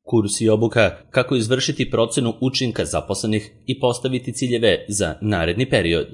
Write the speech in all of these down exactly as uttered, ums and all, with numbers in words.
Kurs i obuka kako izvršiti procenu učinka zaposlenih i postaviti ciljeve za naredni period.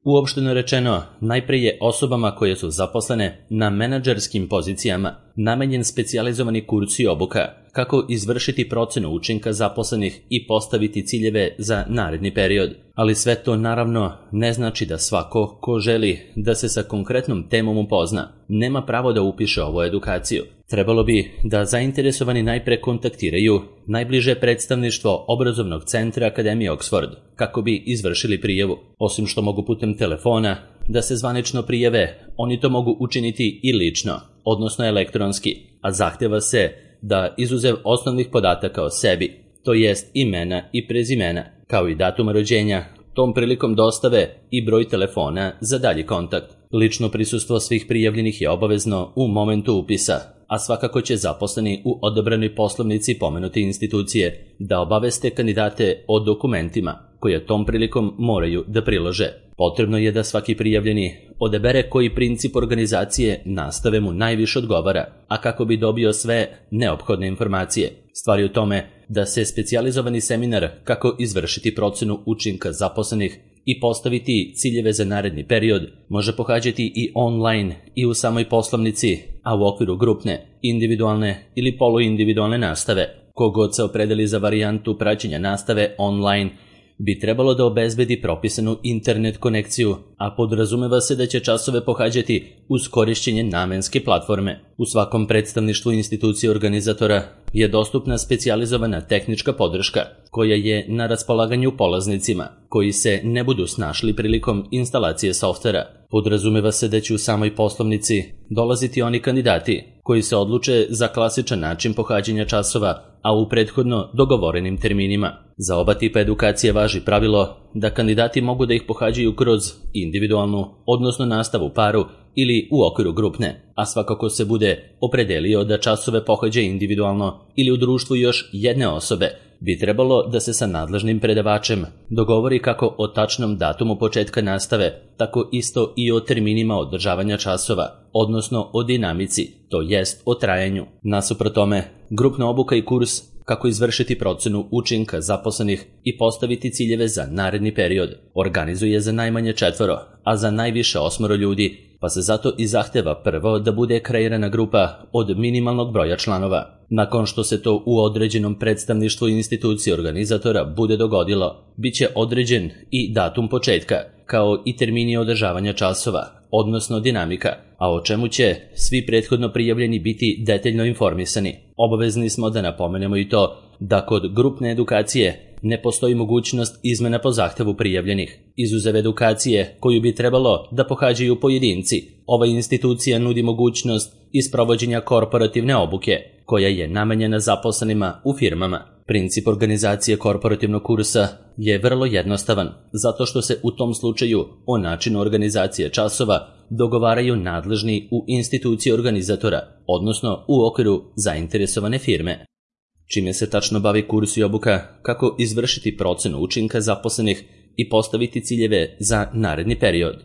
Uopšteno rečeno, najpre je osobama koje su zaposlene na menadžerskim pozicijama namenjen specijalizovani kurs i obuka kako izvršiti procenu učinka zaposlenih i postaviti ciljeve za naredni period. Ali sve to naravno ne znači da svako ko želi da se sa konkretnom temom upozna nema pravo da upiše ovu edukaciju. Trebalo bi da zainteresovani najpre kontaktiraju najbliže predstavništvo obrazovnog centra Akademije Oxford kako bi izvršili prijavu. Osim što mogu putem telefona da se zvanično prijave, oni to mogu učiniti i lično, odnosno elektronski, a zahteva se da izuzev osnovnih podataka o sebi, to jest imena i prezimena, kao i datuma rođenja, tom prilikom dostave i broj telefona za dalji kontakt. Lično prisustvo svih prijavljenih je obavezno u momentu upisa, a svakako će zaposleni u odabranoj poslovnici pomenute institucije da obaveste kandidate o dokumentima koje tom prilikom moraju da prilože. Potrebno je da svaki prijavljeni odabere koji princip organizacije nastave mu najviše odgovara, a kako bi dobio sve neophodne informacije. Stvar je u tome da se specijalizovani seminar kako izvršiti procenu učinka zaposlenih i postaviti ciljeve za naredni period može pohađati i online i u samoj poslovnici, a u okviru grupne, individualne ili poluindividualne nastave. Kogod se opredeli za varijantu praćenja nastave online bi trebalo da obezbedi propisanu internet konekciju, a podrazumeva se da će časove pohađati uz korišćenje namenske platforme. U svakom predstavništvu institucije organizatora je dostupna specijalizovana tehnička podrška koja je na raspolaganju polaznicima koji se ne budu snašli prilikom instalacije softvera. Podrazumeva se da će u samoj poslovnici dolaziti oni kandidati koji se odluče za klasičan način pohađanja časova, a u prethodno dogovorenim terminima. Za oba tipa edukacije važi pravilo da kandidati mogu da ih pohađaju kroz individualnu, odnosno nastavu paru ili u okviru grupne, a svakako se bude opredelio da časove pohađa individualno ili u društvu još jedne osobe, bi trebalo da se sa nadležnim predavačem dogovori kako o tačnom datumu početka nastave, tako isto i o terminima održavanja časova, odnosno o dinamici, to jest o trajanju. Nasuprot tome, grupna obuka i kurs kako izvršiti procenu učinka zaposlenih i postaviti ciljeve za naredni period organizuje za najmanje četvoro, a za najviše osmoro ljudi, pa se zato i zahteva prvo da bude kreirana grupa od minimalnog broja članova. Nakon što se to u određenom predstavništvu institucije organizatora bude dogodilo, bit će određen i datum početka, kao i termini održavanja časova, odnosno dinamika, a o čemu će svi prethodno prijavljeni biti detaljno informisani. Obavezni smo da napomenemo i to da kod grupne edukacije ne postoji mogućnost izmena po zahtevu prijavljenih. Izuzev edukacije koju bi trebalo da pohađaju pojedinci, ova institucija nudi mogućnost isprovođenja korporativne obuke, koja je namenjena zaposlenima u firmama. Princip organizacije korporativnog kursa je vrlo jednostavan, zato što se u tom slučaju o načinu organizacije časova dogovaraju nadležni u instituciji organizatora, odnosno u okviru zainteresovane firme. Čime se tačno bavi kurs i obuka kako izvršiti procenu učinka zaposlenih i postaviti ciljeve za naredni period.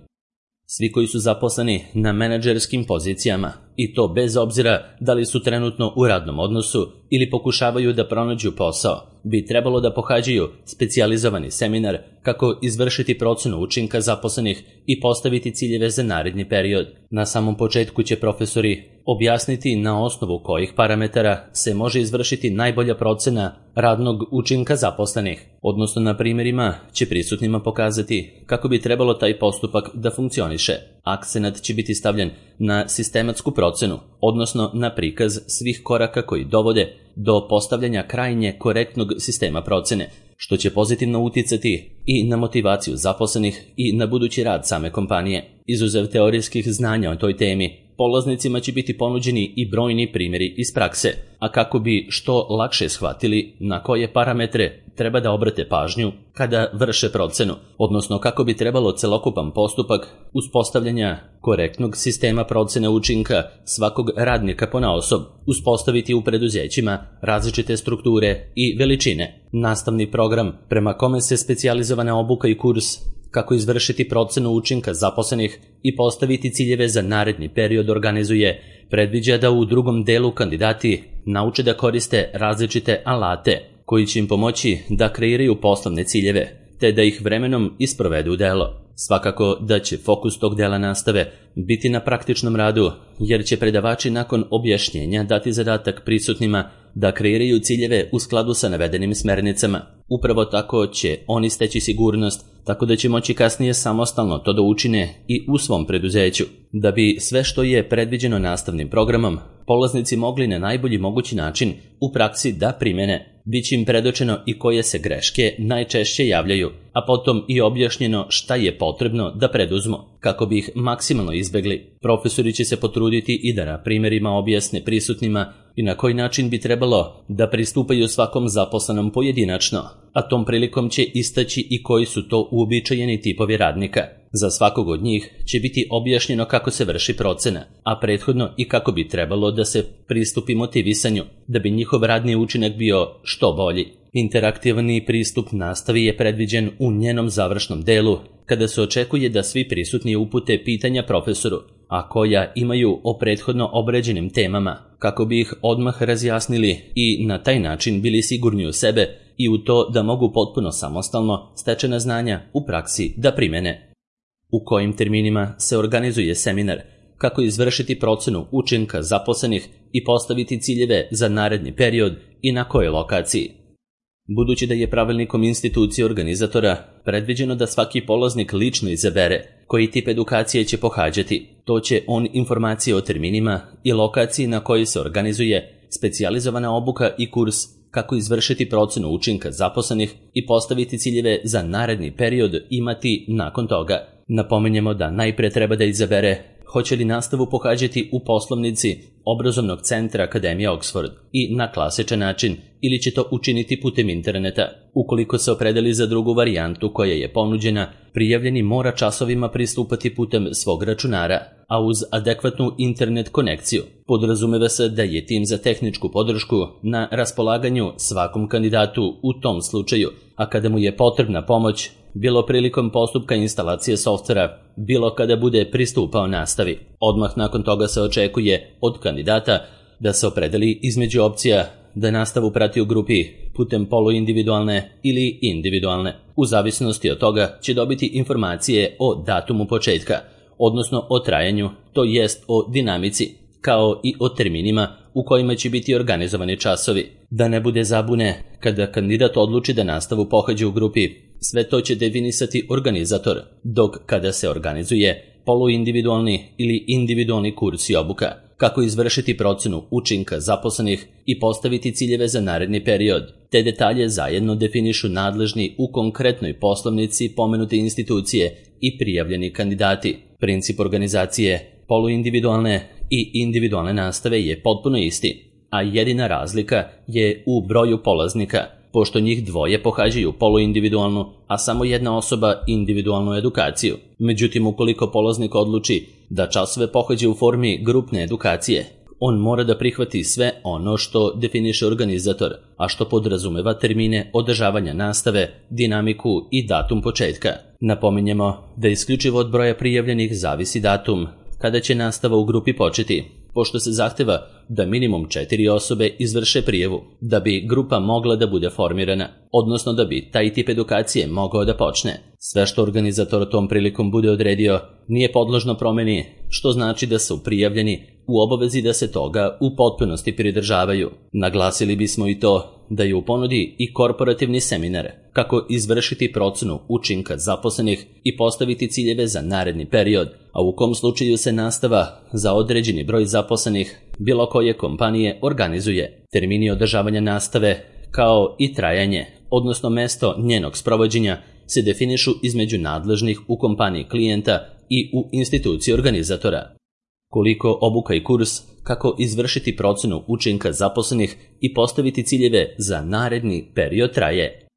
Svi koji su zaposleni na menadžerskim pozicijama, i to bez obzira da li su trenutno u radnom odnosu ili pokušavaju da pronađu posao, bi trebalo da pohađaju specijalizovani seminar kako izvršiti procenu učinka zaposlenih i postaviti ciljeve za naredni period. Na samom početku će profesori objasniti na osnovu kojih parametara se može izvršiti najbolja procena radnog učinka zaposlenih, odnosno na primjerima će prisutnima pokazati kako bi trebalo taj postupak da funkcioniše. Akcenat će biti stavljen na sistematsku procenu, odnosno na prikaz svih koraka koji dovode do postavljanja krajnje korektnog sistema procene, što će pozitivno uticati i na motivaciju zaposlenih i na budući rad same kompanije. Izuzev teorijskih znanja o toj temi, polaznicima će biti ponuđeni i brojni primjeri iz prakse, a kako bi što lakše shvatili na koje parametre treba da obrate pažnju kada vrše procenu, odnosno kako bi trebalo celokupan postupak uspostavljanja korektnog sistema procene učinka svakog radnika ponaosob uspostaviti u preduzećima različite strukture i veličine. Nastavni program prema kome se specijalizovana obuka i kurs kako izvršiti procenu učinka zaposlenih i postaviti ciljeve za naredni period organizuje, predviđa da u drugom delu kandidati nauče da koriste različite alate koji će im pomoći da kreiraju poslovne ciljeve, te da ih vremenom isprovedu u delo. Svakako da će fokus tog dela nastave biti na praktičnom radu, jer će predavači nakon objašnjenja dati zadatak prisutnima da kreiraju ciljeve u skladu sa navedenim smernicama. Upravo tako će oni steći sigurnost, tako da će moći kasnije samostalno to da učine i u svom preduzeću. Da bi sve što je predviđeno nastavnim programom polaznici mogli na najbolji mogući način u praksi da primene, biće im predočeno i koje se greške najčešće javljaju, a potom i objašnjeno šta je potrebno da preduzmu, kako bi ih maksimalno izbegli. Profesori će se potruditi i da na primjerima objasne prisutnima i na koji način bi trebalo da pristupaju svakom zaposlenom pojedinačno, a tom prilikom će istaći i koji su to uobičajeni tipovi radnika. Za svakog od njih će biti objašnjeno kako se vrši procena, a prethodno i kako bi trebalo da se pristupi motivisanju, da bi njihov radni učinak bio što bolji. Interaktivni pristup nastavi je predviđen u njenom završnom delu, kada se očekuje da svi prisutni upute pitanja profesoru, a koja imaju o prethodno obrađenim temama, kako bi ih odmah razjasnili i na taj način bili sigurni u sebe i u to da mogu potpuno samostalno stečena znanja u praksi da primene. U kojim terminima se organizuje seminar, kako izvršiti procenu učinka zaposlenih i postaviti ciljeve za naredni period i na kojoj lokaciji. Budući da je pravilnikom institucije organizatora predviđeno da svaki polaznik lično izabere koji tip edukacije će pohađati, to će on informacije o terminima i lokaciji na kojoj se organizuje specijalizovana obuka i kurs kako izvršiti procenu učinka zaposlenih i postaviti ciljeve za naredni period imati nakon toga. Napominjemo da najpre treba da izabere hoće li nastavu pohađati u poslovnici obrazovnog centra Akademije Oxford i na klasičan način ili će to učiniti putem interneta. Ukoliko se opredeli za drugu varijantu koja je ponuđena, prijavljeni mora časovima pristupati putem svog računara, a uz adekvatnu internet konekciju. Podrazumeva se da je tim za tehničku podršku na raspolaganju svakom kandidatu u tom slučaju, a kada mu je potrebna pomoć, bilo prilikom postupka instalacije softvera, bilo kada bude pristupao nastavi. Odmah nakon toga se očekuje od kandidata da se opredeli između opcija da nastavu prati u grupi putem poluindividualne ili individualne. U zavisnosti od toga će dobiti informacije o datumu početka, odnosno o trajanju, to jest o dinamici, kao i o terminima u kojima će biti organizovani časovi. Da ne bude zabune, kada kandidat odluči da nastavu pohađa u grupi, sve to će definisati organizator, dok kada se organizuje poluindividualni ili individualni kurs i obuka, kako izvršiti procenu učinka zaposlenih i postaviti ciljeve za naredni period. Te detalje zajedno definišu nadležni u konkretnoj poslovnici pomenute institucije i prijavljeni kandidati. Princip organizacije poluindividualne i individualne nastave je potpuno isti, a jedina razlika je u broju polaznika, pošto njih dvoje pohađaju poluindividualnu, a samo jedna osoba individualnu edukaciju. Međutim, ukoliko polaznik odluči da časove pohađa u formi grupne edukacije, on mora da prihvati sve ono što definiše organizator, a što podrazumeva termine održavanja nastave, dinamiku i datum početka. Napominjemo da isključivo od broja prijavljenih zavisi datum kada će nastava u grupi početi, pošto se zahteva da minimum četiri osobe izvrše prijavu da bi grupa mogla da bude formirana, odnosno da bi taj tip edukacije mogao da počne. Sve što organizator tom prilikom bude odredio nije podložno promeni, što znači da su prijavljeni u obavezi da se toga u potpunosti pridržavaju. Naglasili bismo i to da je u ponudi i korporativni seminar kako izvršiti procenu učinka zaposlenih i postaviti ciljeve za naredni period, a u kom slučaju se nastava za određeni broj zaposlenih bilo koje kompanije organizuje. Termini održavanja nastave kao i trajanje, odnosno mesto njenog sprovođenja, se definišu između nadležnih u kompaniji klijenta i u instituciji organizatora. Koliko obuka i kurs kako izvršiti procenu učinka zaposlenih i postaviti ciljeve za naredni period traje.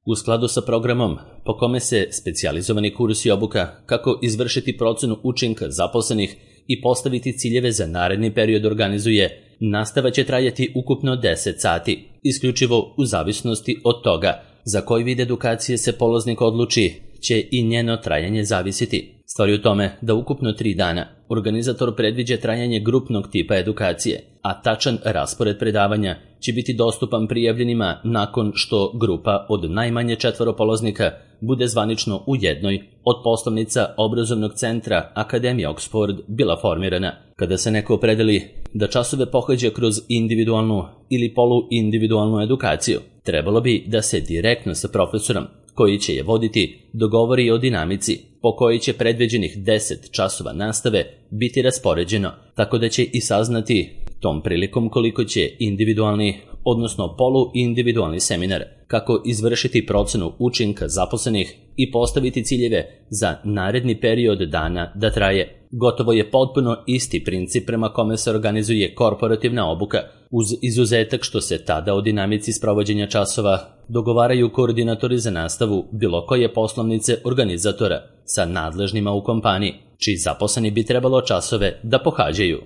U skladu sa programom po kome se specijalizovani kurs i obuka kako izvršiti procenu učinka zaposlenih i postaviti ciljeve za naredni period organizuje, nastava će trajati ukupno deset sati, isključivo u zavisnosti od toga za koji vid edukacije se polaznik odluči, će i njeno trajanje zavisiti. Stvar je u tome da ukupno tri dana organizator predviđa trajanje grupnog tipa edukacije, a tačan raspored predavanja će biti dostupan prijavljenima nakon što grupa od najmanje četvoro polaznika bude zvanično u jednoj od poslovnica obrazovnog centra Akademije Oxford bila formirana. Kada se neko opredeli da časove pohađa kroz individualnu ili poluindividualnu edukaciju, trebalo bi da se direktno sa profesorom koji će je voditi dogovori o dinamici po kojoj će predviđenih deset časova nastave biti raspoređeno, tako da će i saznati tom prilikom koliko će individualni, odnosno poluindividualni seminar, kako izvršiti procenu učinka zaposlenih i postaviti ciljeve za naredni period dana da traje. Gotovo je potpuno isti princip prema kome se organizuje korporativna obuka, uz izuzetak što se tada o dinamici sprovođenja časova dogovaraju koordinatori za nastavu bilo koje poslovnice organizatora sa nadležnima u kompaniji, čiji zaposleni bi trebalo časove da pohađaju.